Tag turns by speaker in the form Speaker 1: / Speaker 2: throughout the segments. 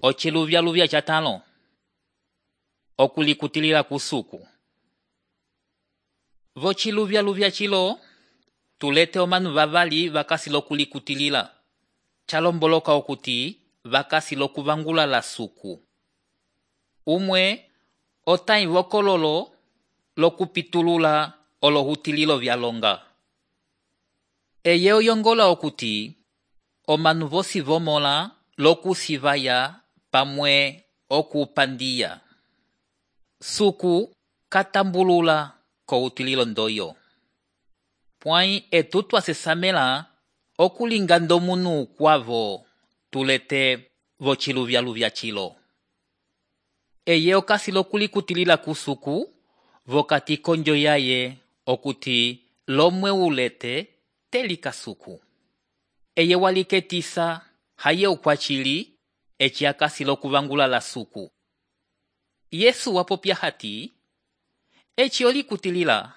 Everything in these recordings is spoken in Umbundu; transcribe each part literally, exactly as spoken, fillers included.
Speaker 1: Ociluvyaluvya catalo. Okulikutilila kusuku. Vociluvyaluvya cilo, tulete omanu vavali vakasi lokulikutilila. Chalomboloka okuti vakasi lokuvangula la suku. Umwe, otai vokololo lokupitulula olohutililo vyalonga. Eye oyongola okuti, omanu vosi vomola lokusivaya pamwe okupandia. Suku katambulula ko utililo ndoyo. Pwai etutu asesamela okulinga ndomunu kwavo tulete vociluvyaluvya cilo. Eye okasi lokulikutilila kusuku vokati konjo yaye okuti lomwe ulete telika suku. Eye waliketisa haye ukwachili eci akasi lokuvangula la suku. Yesu wapopya hati, eci olikutilila,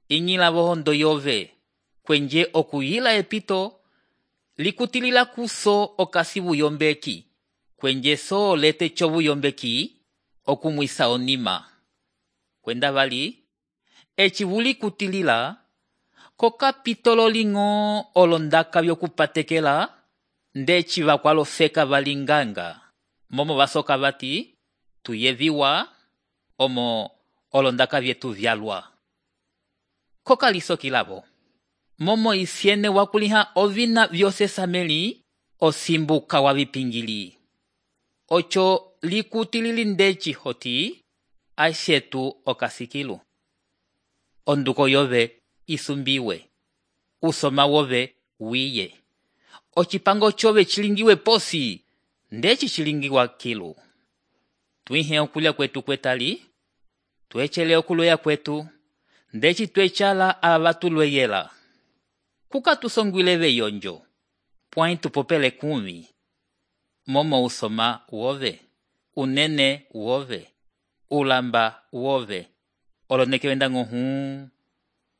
Speaker 1: inyila vohondo yove, kwenje okuyila epito, likutilila kuso okasi buyombeki, kwenje so lete cho buyombeki, okumwisa onima. Kwenda vali, eci vulikutilila, kokapitolo lingo olondaka vyokupatekela, ndeci vakwalo feka valinganga. Momo vasoka vati, tuyeviwa, omo olondaka vyetu vyalwa. Koka lisoki lavo. Momo isiene wakuliha ovina vyosesameli, osimbuka wavipingili. Ocho likutilili ndeci hoti, ashetu okasikilu. Onduko yove isumbiwe. Usoma wove wiye. Ochipango chove chilingiwe posi, ndeci chilingiwa kilu. Tuihe okulia kwetu kwetali, tuechele okuloya kwetu, ndeci tuechala avatulweyela. Kuka tusongwileve yonjo, pwai tupopele kumi. Momo usoma wove, unene wove, ulamba wove, oloneke wenda nguhu.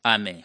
Speaker 1: Amen.